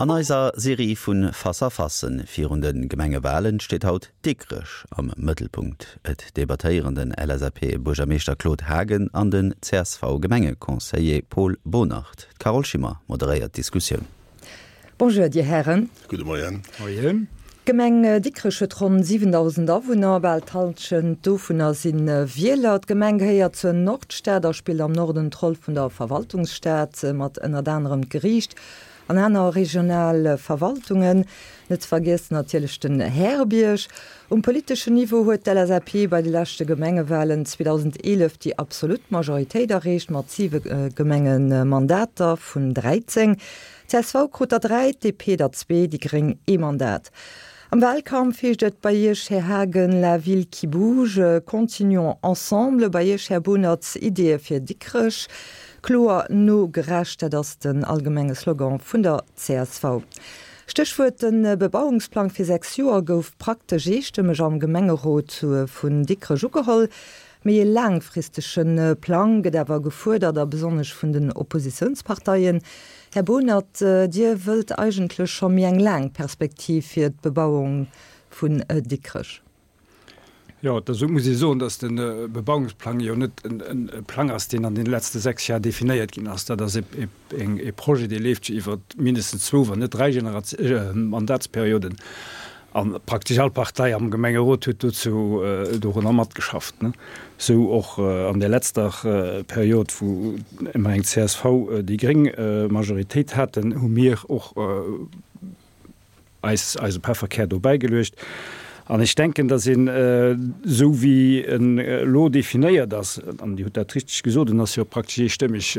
An eiser Serie vu Face-à-Facen virun de Gemengewalen steet haut Dikrech am Mëttelpunkt. Et debattéieren den LSAP-Buergermeeschter Claude Haagen an den CSV-Gemengeconseiller Paul Bonert. D'Carole Schimmer moderéiert d'Diskussioun. Bonjour, Dir Hären. Gudde Moien. Moien. D'Gemeng Dikrech huet ronn 7.000 Awunner, bal d'Hallschent dovunner si Wieler. D'Gemeng gehéiert zur Nordstad a spillt am Norden d'Roll vun der Verwaltungsstad, mat ënnert anerem d'Geriicht an aner regional Verwaltungen. Net ze vergiessen natierlech den Härebierg. Um politeschen Niveau huet d'LSAP bei de leschte Gemengewalen 2011 déi absolut Majoritéit erreecht, mat siwe Gemengemandater vun 13. Csv krut der 3, d'DP der zwee, déi gréng ee Mandat. Am Wahlkampf heescht et bei Iech, Här Haagen, la ville qui bouge, continuons ensemble. Bei Iech, Här Bonertz, Ideeë fir Dikrech, kloer, no, gerecht, dat ass den allgemenge Slogan vun der csv. Stéchwuert, De Bebauungsplang fir 6 Joer gouf praktesch eestëmmeg am Gemengerot vun Dikrech ugeholl. Méi e laangfristege Plang gëtt awer gefuerdert, a besonnesch vun den Oppositiounsparteien. Här Bohnert, Dir wëllt eigentlech scho méi eng laang Perspektiv fir d'Bebauung vun Dikrech. Jo, dozou muss ee soen, datt de Bebauungsplang jo net e Plang ass, deen an deene letzte 6 Jar definéiert ginn ass. Dat ass e Projet, dee leeft jo iwwer mindestens zwou, wann net dräi Mandatsperioden. A praktesch all Partei am Gemengerot huet dozou dorunner matgeschafft. Sou och an där letzter Period, wou ëmmer eng csv, déi gréng Majoritéit haten, hu mir och eis eise Pefferkär do bäigeluecht. An ech denken, datt een, esou wéi en elo definéiert ass, an Dir hutt dat richteg gesot, en ass jo praktesch eestëmmeg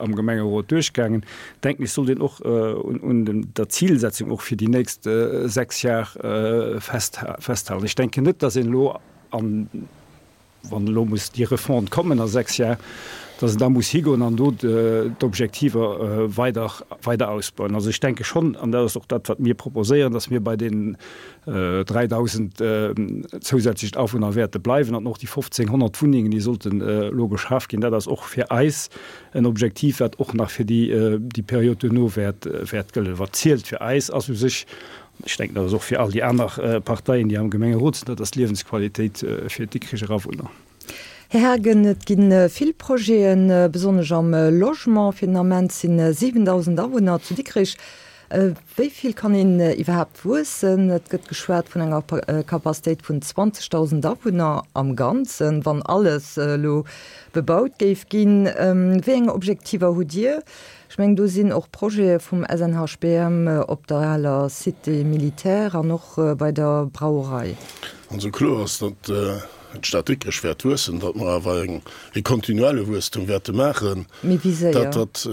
am Gemengerot duerchgaangen, denken ech, sollt een och un der Zilsetzung och fir déi nächst 6 Jar festhalen. Ech denken net, datt een elo, wann elo muss déi Refonte kommen a 6 Jar, datt een da muss higoen an do d'Objektiver weider, weider ausbauen. Also ech denke schonn, an dat ass och dat, wat mir proposéieren, datt mir bei deenen 3.000 zousätzlechen Awunner wäerte bleiwen an och déi 1.500 Wunnengen, déi sollten elo geschaf ginn, dat ass och fir eis En Objektiv, wat och nach fir déi Period duerno wäert gëllen. Wat zielt fir eis ass u sech, an ech denken, dat ass och fir all déi aner Parteien, déi am Gemengerot sinn, dat ass d'Liewensqualitéit fir d'Dikricher Awunner. Här Haagen, et gi vill Projeten, besonnesch am Logement. Fir den Ament sinn 7.000 Awunner zu Dikrich. Wéi vill kann een iwwerhaapt wuessen? Et gëtt geschwat vun enger Capacitéit vun 20.000 Awunner am Ganzen, wann alles elo bebaut géif ginn. Wéi eng Objektiver hutt Dir? Ech mengen, do sinn och Projete vum SNHBM op der aler Cité militaire an och bei der Brauerei. Also kloer ass, datt d'Stad Dikrech wäert wuessen, datt mer awer e kontinuelle Wuesstum wäerte maachen. Mee wéi séier? Dat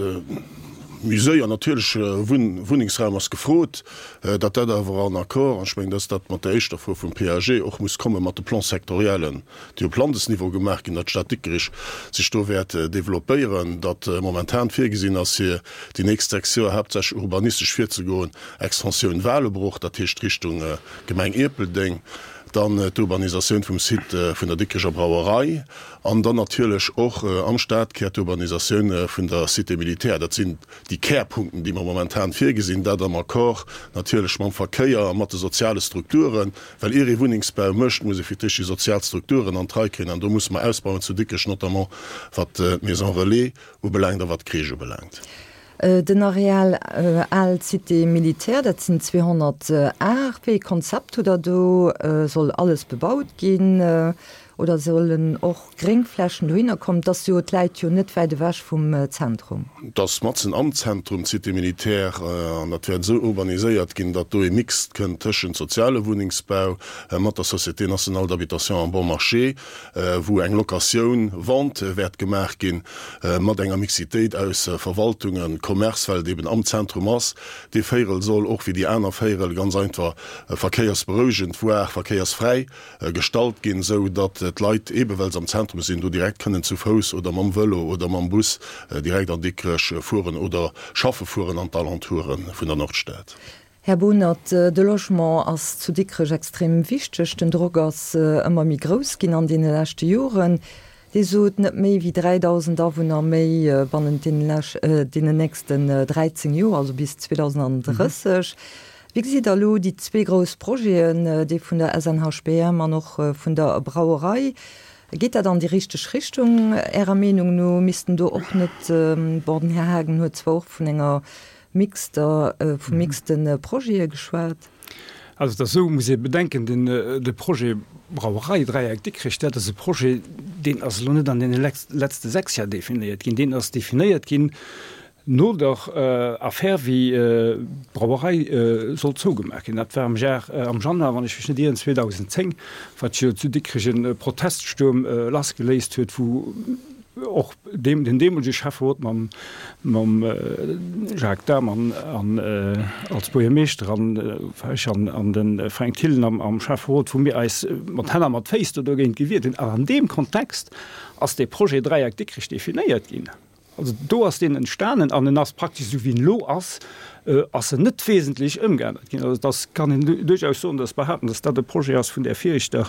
méi séier natierlech, Wunnengsraum ass gefrot, datt dat awer en Accord, an ech mengen, datt dat mat der éischter Fro vum PAG och muss kommen, mat de Plans-sectoriellen, déi op Landesniveau gemaach ginn, datt d'Stad Dikrech sech do wäert developpéieren, datt momentan virgesinn ass, fir déi nächst 6 Joer haaptsächlech urbanistesch virzegoen, Extensioun Walebruch, dat heescht Richtung Gemeng Ierpeldeng, dann d'Urbanisatioun vum Site vun der Dikrecher Brauerei an dann natierlech och am Stadkär d'Urbanisatioun vun der Cité militaire. Dat sinn déi Kärpunkten, déi mer momentan virgesinn, dat am Accord natierlech mam Verkéier a mat de soziale Strukturen, well ier ee Wunnengsbau mécht, muss ee fir d'éischt déi sozial Strukturen an d'Rei kréien an do musse mer ausbauen zu Dikrech, notamment wat d'Maison relais ubelaangt a wat d'Crèche ubelaangt. Den Areal Al Cité Militaire, dat sinn 200 Ar. Wéi ee Konzept hutt Der do? Soll alles bebaut ginn oder sollen och Gréngflächen dohinner kommen? Et ass jo, et läit jo net wäit ewech vum Zentrum. Et ass matzen am Zentrum, d'Cité Militaire, an dat wäert esou urbaniséiert ginn, datt do ee Mix kënnt tëschent soziale Wunnengsbau mat der Société nationale d'habitation en bon marché, wou eng Locatioun, Vente wäert gemaach ginn, mat enger Mixitéit aus Verwaltungen, Commerce, well et eben am Zentrum ass. Dee Véierel soll och wéi déi aner Véierel ganz einfach verkéiersberouegend, voire verkéiersfräi gestallt ginn, esou datt d'Leit, ebe well se am Zentrum sinn, do direkt kënnen zu Fouss oder mam Vëlo oder mam Bus direkt an Dikrech fueren oder schaffe fueren an d'Alentoure vun der Nordstad. Här Bohnert, de Logement ass zu Dikrech extrem wichteg. Den Drock ass ëmmer méi grouss ginn an deene leschte Joren. Dir sot, net méi wéi 3.000 Awunner méi bannent deenen nächsten 13 Joer, also bis 2030. Wéi gesitt Der elo déi zwee grouss Projeten, dee vun der SNHBM an och vun der Brauerei? Geet dat an déi richteg Richtung Ärer Meenung no? Missten do och net, bon, den Här Haagen huet zwar och vun enger mixter, vu mixte Projete geschwat. Also et ass esou, muss ee bedenken, den de Projet Brauerei Dräieck Dikrech, dat ass e Projet, deen ass elo net an deene letzte 6 Jar definéiert ginn, deen ass definéiert ginn no der Affär wéi d'Brauerei sollt zougemaach ginn. Dat war am Jar, am Januar, wann ech mech net ieren, 2010, wat jo zu Dikrech e Proteststuerm lassgeléist huet, wou och deem, den deemolege Schäfferot mam, mam Jacques Dahm an, an als Buergermeeschter an ech an, an de Fränk Thillen am, am Schäfferot, wou mir eis mat Hänn a mat Féiss do dogéint gewiert hunn. An an deem Kontext ass dee Projet Dräieck Dikrech definéiert ginn. Also do ass deen entstanen an en ass praktesch esou wéi en elo ass, ass en net wesentlech ëmgeännert ginn. Also dass kann een duerchaus soen, dass behaapten, dass dat e Projet ass vun där viregter,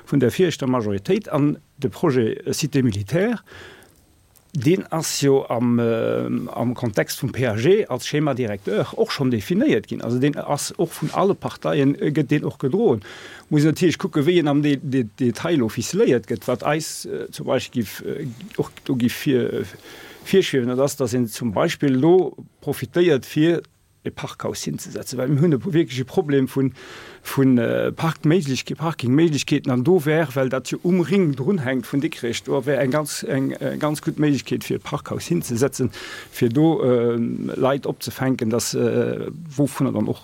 vun där viregter Majoritéit. An De Projet Cité militaire, deen ass jo am Kontext vum PAG als Schéma directeur och schonn definéiert ginn. Also deen ass och vun alle Parteien, gëtt deen och gedroen. Muss een natierlech kucken, wéi en am Detail elo ficeléiert gëtt. Wat eis zum Beispill giff och do giff virschwiewen, dat ass, datt een zum Beispill elo profitéiert fir e Parkhaus hinzesetzen, well mir hunn e wierklech e Problem vu vu Parkméiglechkeeten, Parkingméiglechkeeten an do wär, well dat jo um Ring drunhänkt vun Dikrech, do wär eng ganz eng ganz gutt Méiglechkeet fir e Parkhaus hinzesetzen, fir do Leit opzefänken, dass wouvunner dann och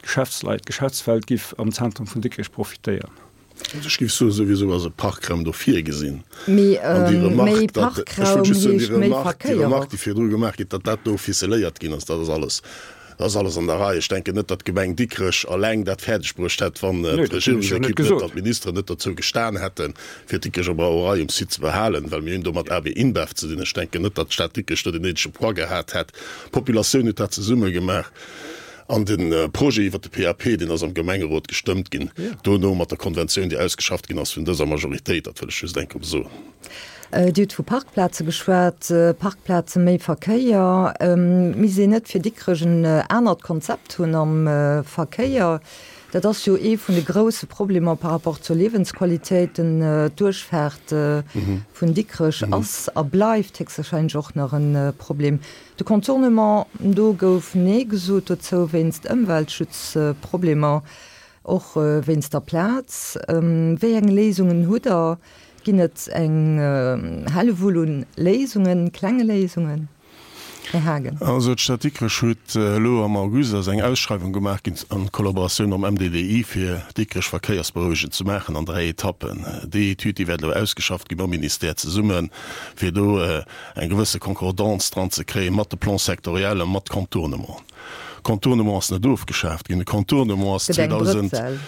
d'Geschäftsleit, d'Geschäftswelt giff am Zentrum vun Dikrech profitéieren. Also ech géif soen, souwisou ass e Parkraum do virgesinn. Mee An déi méi Remarque, datt, ech Parkraum wollt just soen, déi heescht méi Remarque, déi Verkéier Remarque, och. déi virdru gemaach gétt, datt dat do ficeléiert ginn ass, dat ass alles, dat ass alles an der Rei. Ech denken net, datt d'Gemeng Dikrech alleng dat fäerdeg bruecht hätt, wann Nee, dat hunn ech jo net d'Regierungsekipp net gesot. an d'Ministeren net dozou gestan hätten, fir d'Dikrecher Brauerei um Site ze behalen, well mir hunn do mat AB InBev ze dinn. Ech denken net, datt d'Stad Dikrech do den néidege Poids gehat hätt. D'Populatioun huet dat zesumme gemaach. An de Projet iwwert de PAP, deen ass am Gemengerot gestëmmt ginn, dono mat der Konventioun, déi ausgeschafft ginn ass vun dëser Majoritéit. Dat wëll ech just eng Kéier soen. Dir hutt vu Parkplaze geschwat, Parkplaze, méi Verkéier. Misst een net fir Dikrech en anert Konzept hunn am Verkéier? Dat ass jo ee vun de grousse Problemer par rapport zur Liewensqualitéit. D'Duerchfaart vun Dikrech ass a bleift héchstwahrscheinlech och nach e Problem. De Contournement, do gouf Nee gesot dozou wéinst Ëmweltschutzproblemer, och wéinst der Plaz. Wéi eng Léisungen hutt Der? Ginn et eng Hellewull un Léisungen, klenge Léisungen? Här Haagen. Also d'Stad Dikrech huet elo am August ass eng Ausschreiwung gemaach ginn an Kollaboratioun mam MDDI fir Dikrech verkéiersberouegend ze maachen an 3 Etappen. Déi Etüd déi wäert elo ausgeschafft gi mam Ministère zesummen, fir do eng gewësse Concordance dran ze kréien mat de Plans sectoriels, mat Contournement. Contournement ass net ofgeschaaft ginn. De Contournement ass Gëtt eng 2000, Brëtzel.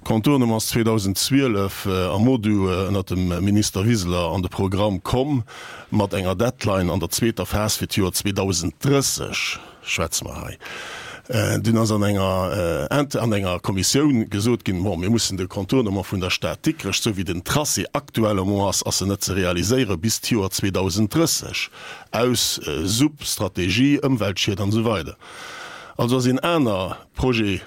Contournement ass 2012 am MoDu ënnert dem Minister Wiseler an de Programm komm mat enger Deadline an der zweeter Phas fir d'Joer 2030. Schwätze mer hei. Dunn ass an enger an enger Kommissioun gesot ginn, bon, mir mussen de Contournement vun der Stad Dikrech, esou wéi den Tracé actuellement ass, ass en net ze realiséieren bis d'Joer 2030, aus Sup, Strategie, Ëmweltschied an esou weider. Also ass een aner Projet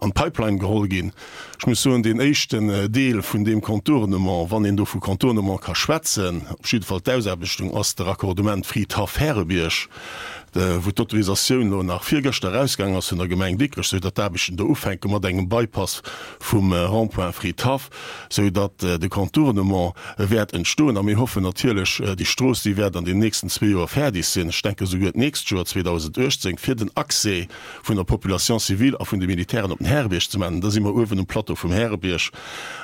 an d'Pipeline geholl ginn. Ech muss soen, deen éischten Deel vun deem Contournement, wann een do vu Contournement ka schwätzen, op jidde Fall d'Ausaarbechtung, ass de Raccordement Fridhaff-Härebierg, wou d'Autorisatioun elo nach virgëschter erausgaangen ass vun der Gemeng Dikrech, sou datt d'Aarbechten do ufänke mat engem Bypass vum Rond-point Fridhaff, sou datt de Contournement wäert entstoen. A mir hoffen natierlech, déi Strooss, déi wäert an den nächsten zwee Joer fäerdeg sinn, ech denke souguer d'nächst Joer, 2018, fir den Accès vun der Population civile a vun de Militären op den Härebierg ze maachen. Da si mer uewen um Plateau vum Härebierg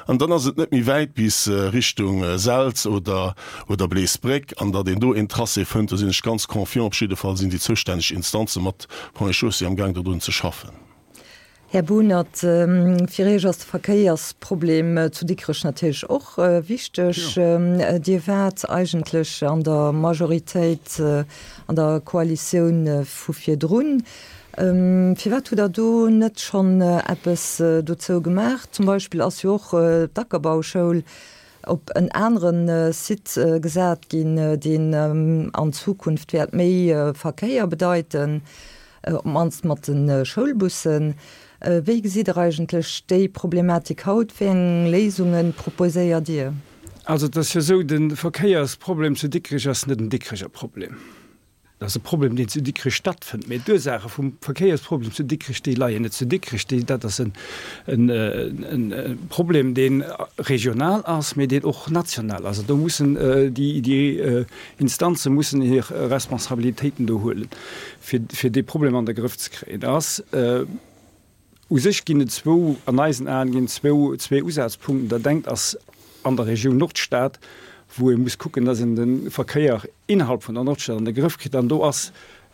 an dann ass et net méi wäit bis Richtung Selz oder oder Bleesbréck. An datt een do een Tracé fënnt, do sinn ech ganz confiant. Op jidde Fall sinn déi zoustänneg Instanze mat Ponts et Chaussées am Gaang dodrun ze schaffen. Här Bohnert, fir Iech ass de Verkéiersproblem zu Dikrech natierlech och wichteg. Dir waart eigentlech an der Majoritéit an der Koalitioun vu virdrun. Firwat hutt Der do net schonn eppes dozou gemaach? Zum Beispill ass jo och d'Ackerbauschoul. op en anere Site gesat ginn, deen an Zukunft wäert méi Verkéier bedeiten, op d'mannst mat de Schoulbussen. Wéi gesitt Der eigentlech déi Problematik haut? Wéi eng Léisunge proposéiert Dir? Also et ass jo esou, de Verkéiersproblem zu Dikrech ass net en Dikrecher Problem. Dat ass e Problem, deen zu Dikrech stattfënnt. Mee d'Ursaache vum Verkéiersproblem zu Dikrech, déi leien net zu Dikrech. Déi, dat ass en, en, en Problem, dee regional ass, mee deen och national ass. An do mussen déi, déi Instanze mussen hir Responsabilitéiten do huelen, fir, fir dee Problem an de Grëff ze kréien. Da ass U sech ginn et zwou, an eisen Aen ginn et zwou, zwee Usazpunkten. Dat engt ass an der Regioun Nordstad, wou ee muss kucken, dass een de Verkéier innerhalb vun der Nordstad an de Grëff kritt. An do ass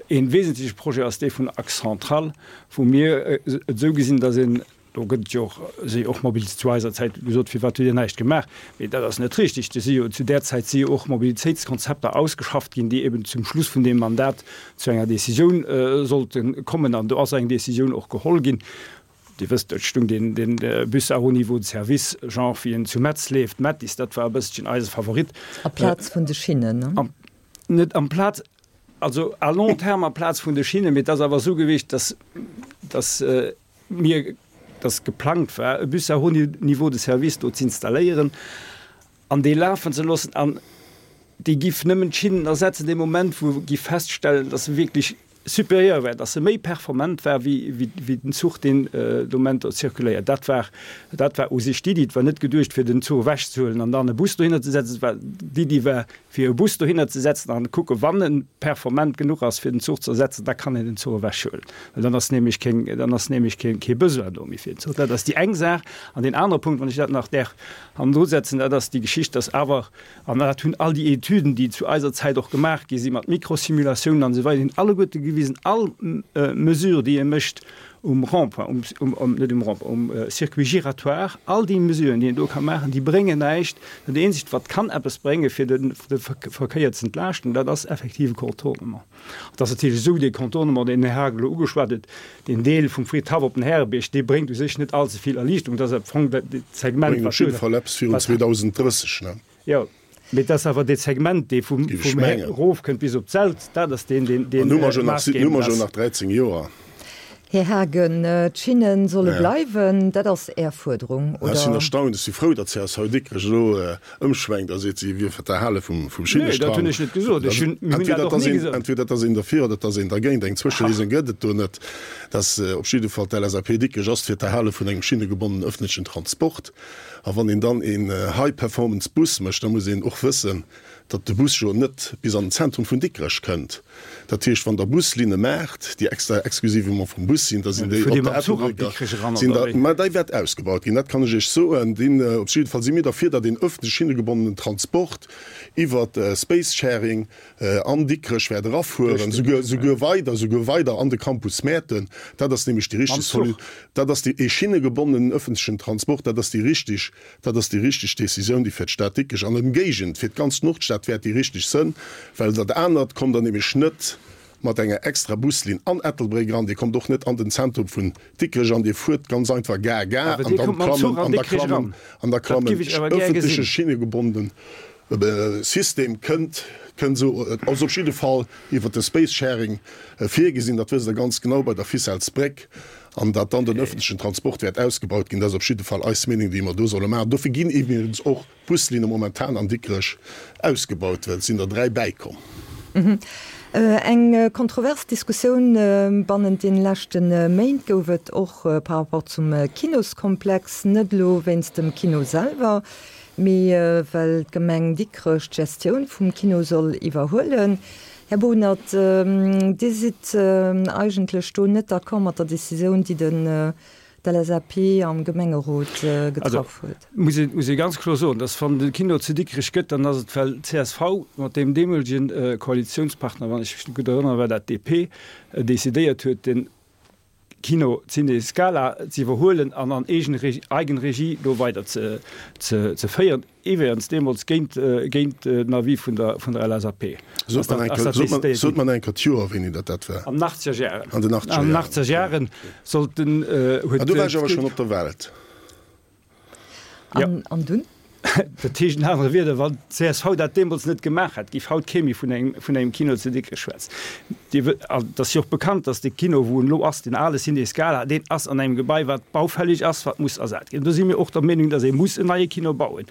ee wesentleche Projet ass dee vun Axe central, wou mir et esou gesinn, dass een, do gëtt et jo och, si och Mobilitéits, zu eiser Zäit gesot, firwat hutt Dir näischt gemaach? Mee dat ass net richtig. Do si jo, zu där Zäit si jo och Mobilitéitskonzepter ausgeschafft ginn, déi eben zum Schluss vun deem Mandat zu enger Décisioun sollte kommen. An do ass eng Décisioun och geholl ginn. Dir wësst, et stung deen, deen Bus à haut niveau de service, genre wéi en zu Metz leeft, Mettis, dat war e bësselchen eise Favorit. Amplaz vun de Schinnen, ne? Net amplaz, also à long terme amplaz vun de Schinnen, mee et ass awer esou gewiescht, dass, dass mir, dass geplangt war, e Bus à haut niveau de service do z'installéieren an dee lafen ze loossen. An dee giff nëmmen d'Schinnen ersetzen dee Moment, wou e giff feststellen, dass e wierklech supérieur war, dass e méi performant war wéi, wéi den Zuch, deen de Moment do zirkuléiert. Dat war, dat war u sech d'Iddi. Et war net geduecht, fir den Zuch ewechzehuelen an dann e Bus dohinner ze setzen. Et war, d'Iddi war, fir e Bus dohinner ze setzen an kucken, wann en performant genuch ass, fir den Zuch ze ersetzen, da kann een den Zuch ewechhuelen, well dann ass nämlech keng, dann ass nämlech kee, kee Besoin do méi fir den Zuch. Dat ass déi eng Saach. An deen anere Punkt, wann ech dat nach däerf hannendru setzen, dat ass déi Geschicht, dass awer, an dat hunn all déi Etüden, déi zu eiser Zäit och gemaach gi sinn, mat Mikrosimulatiounen an esou weider, hunn alleguerte gewisen, all Mesure, déi ee mécht um Rond-point, um, um, net um Rond-point, um Circuit giratoire, all déi Mesuren, déi een do ka maachen, déi bréngen näischt. Dat eenzegt, wat kann eppes bréngen, fir de, de Verkéier ze entlaaschten, dat ass effektiv e Contournement. Et ass natierlech esou, dee Contournement, deen den Här Haagen elo ugeschwat huet, deen Deel vum Fridhaff op den Härebierg, dee bréngt u sech net allze vill Erliichterung. Dat ass am Fong dat Segment, wat. Bréngt op jidde Fall eppes virun 2030, ne? Jo, mee et ass awer dee Segment, dee vum erofkënnt bis op d'Selz, dat ass deen, deen deen maassgebend ass. Hu mer jo nach 13 Joer. Här Haagen, d'Schinne solle bleiwen, dat ass Är Fuerderung, oder? Ech sinn erstaunt. Ech si frou, datt csv Dikrech elo ëmschwenkt a seet, si wier fir d'Erhale vum Schinnestrang. Nee, dat hunn ech net gesot. Ech hunn, mir hunn dat och ni gesot. Entweder et ass een derfir oder et ass een dergéint. Eng Zwëscheléisung gëtt et do net. Dass op jidde Fall d'LSAP Dikrech ass fir d'Erhale vun engem schinnegebonnenen öffentlechen Transport. A wann een dann een High-Performance-Bus mécht, da muss een och wëssen, datt de Bus jo net bis an den Zentrum vun Dikrech kënnt. Dat heescht, wann Der Buslinne maacht, déi extra exclusivement vum Bus sinn, da sinn déi op der Ettelbrécker, sinn der, mä déi wäert ausgebaut ginn, dat kann ech Iech soen. Deen, op jidde Fall si mir derfir, datt een öffentlech schinnegebonnenen Transport iwwert Space-Sharing an Dikrech wäert erafueren, souguer, souguer weider, souguer weider an de Campus Mäerten. Dat ass nämlech déi richteg Solu, dat ass déi, ee schinnegebonnenen öffentlechen Transport, dat ass déi richteg, dat ass déi richteg Décisioun, déi fir d'Stad Dikrech an ëmgéigend, fir d'ganz Nordstad wäert déi richteg sënn, well dat anert kommt Der nämlech net mat enger extra Buslinn an Ettelbréck eran, Dir kommt och net an den Zentrum vun Dikrech an, Dir fuert ganz einfach Gare, Gare an dann klammen, an da klammen, an da klammen öffentleche schinnegebonnenen System kënnt, kënnt esou, ass op jidde Fall iwwert de Space Sharing virgesinn, dat wësst Der ganz genau bei der Ficellesbréck, an datt dann den öffentlechen Transport wäert ausgebaut ginn, dat ass op jidde Fall eis Meenung, déi mer do solle maachen. Dofir ginn iwwregens och d'Buslinne momentan an Dikrech ausgebaut, well et sinn der 3 bäikomm. Eng kontrovers Diskussioun bannent den leschte Méint gouf et och par rapport zum Kinoskomplex, net elo wéinst dem Kino selwer, mee well d'Gemeng Dikrech d'Gestioun vum Kino soll iwwerhuelen. Här Bohnert, Dir sidd eigentlech do net d'accord mat der Decisioun, déi den d'LSAP am Gemengerot getraff huet. Also muss ee ganz kloer soen, dass wann de Kino zu Dikrech gëtt, dann ass et well csv mat deem deemolegen Koalitionspartner, wann ech mech gutt erënneren, war dat DP, decidéiert huet, den Kino Ciné Scala ze iwwerhuelen an an Eigenregie do weider ze ze féieren, iwwregens deemools géint géint den Avis vun der vun der LSAP. Sot mer eng Kéier, sot mer eng Kéier d'Joer, wéini dat dat war. An den achtzeger Jaren. An den achtzeger Jaren. An den achtzeger Jaren sollt den, huet. Ah, do war ech awer schonn op der Welt. An, an dunn? Dat heescht an anere Wierder, wann d'CSV dat deemools net gemaach hätt, géif haut kee méi vun engem, vun engem Kino zu Dikrech schwätzen. Dir wë, an et ass jo och bekannt, datt de Kino, wou en elo ass, deen ale Ciné Scala, deen ass an engem Gebai, wat baufällig ass, wat muss ersat ginn. Do si mir och der Meenung, datt ee muss en neie Kino bauen.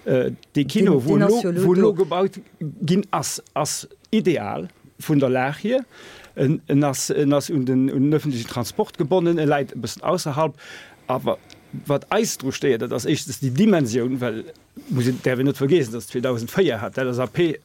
Dee Kino, wou en elo, wou en elo gebaut ginn ass, ass ideal vun der Lag hier. En, en ass, en ass un den, un den öffentlichen Transport gebonnen, e läit e bëssen ausserhalb. Awer wat eis dru stéiert, dat ass éischtens déi Dimensioun, well muss een, däerf een net vergiessen, dass 2004 hat d'LSAP e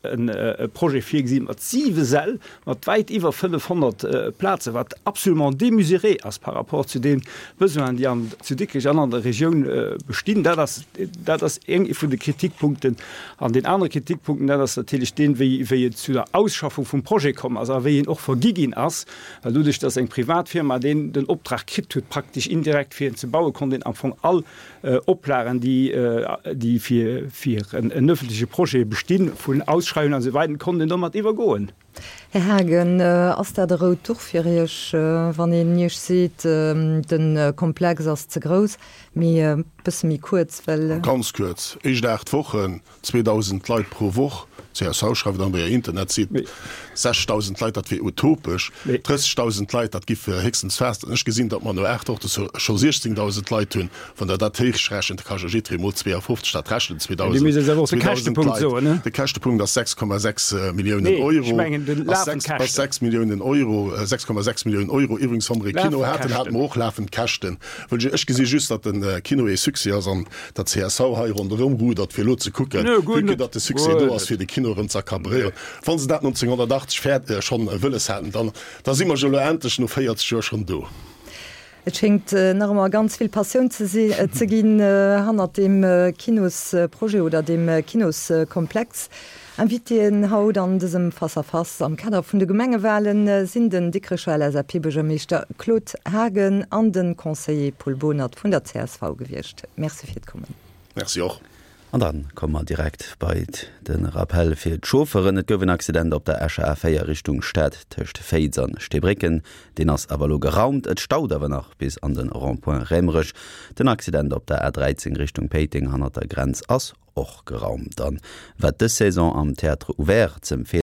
Projet virgesi mat siwe Säll, mat wäit iwwer 500 Plazen, wat absolument démesuré ass par rapport zu de Besoinen, déi an, zu Dikrech an an der Regioun bestinn. Dat ass, dat ass een vun de Kritikpunkten. An deen anere Kritikpunkten, dat ass natierlech deen, wéi, wéi et zu der Ausschaffung vum Projet komm ass a wéi en och vergi ginn ass. Well doduerch, dass eng privat Firma deen den Optrag kritt huet, praktesch indirekt fir en ze bauen, konnt een am Fong all Oplagen, déi déi fir fir en öffentleche Projet bestinn, vun Ausschreiwungen an esou weider, konnt een domat iwwergoen. Här Haagen, ass dat e rout Duch fir Iech, wann een Iech seet, de Komplex ass ze grouss? Mee e bësse méi kuerz, well. Ganz kuerz, éischt 8 Wochen, 2.000 Leit pro Woch, csv schreift an der Internetsite 6.000 Leit, dat wier utopesch, 30.000 Leit, dat giff héchstens fest. An ech gesinn, datt mer no 8 Woche scho 16.000 Leit hunn. Wann Der dat héichrechent, da ka jo jiddweree mol 52 dat rechnen, 2.000 Leit. De Käschtepunkt ass 6,6 Milliounen Euro. Ass 6 Milliounen Euro, 6,6 Milliounen Euro. Iwwregens, wa mer e Kino haten, hate mer och lafend Käschten. Ech gesi just, datt de Kino ee Succès ass an datt csv hei ronderëm rudert, fir elo ze kucken, vue que datt de Succès do ass, fir de Kino erëm ze accaparéieren. Wa se dat 1980 fäert schonn wëlles haten, dann da si mer jo elo endlech no 40 Joer schonn do. Et schéngt nach ëmmer ganz vill Passioun ze ze ginn hannert deem Kinosprojet oder deem Kinoskomplex. Invitéen haut an dësem Face-à-Face am Kader vun de Gemengewalen sinn den Dikrecher LSAP-Buergermeeschter Claude Haagen an de Conseiller Paul Bohnert vun der csv gewiescht. Merci fir d'Kommen. Merci och. An da komme mer direkt bei de Rappel fir d'Chauffeuren. Et gouf en Accident op der Escher A4 Richtung Stad tëscht Féiz an Steebrécken. Deen ass awer elo geraumt. Et staut awer nach bis an de Rond-point Raemerech. Den Accident op der A13 Richtung Péiteng hannert der Grenz ass Och geraumt. An wat dës Saison am Théâtre Ouvert z'empfeelen.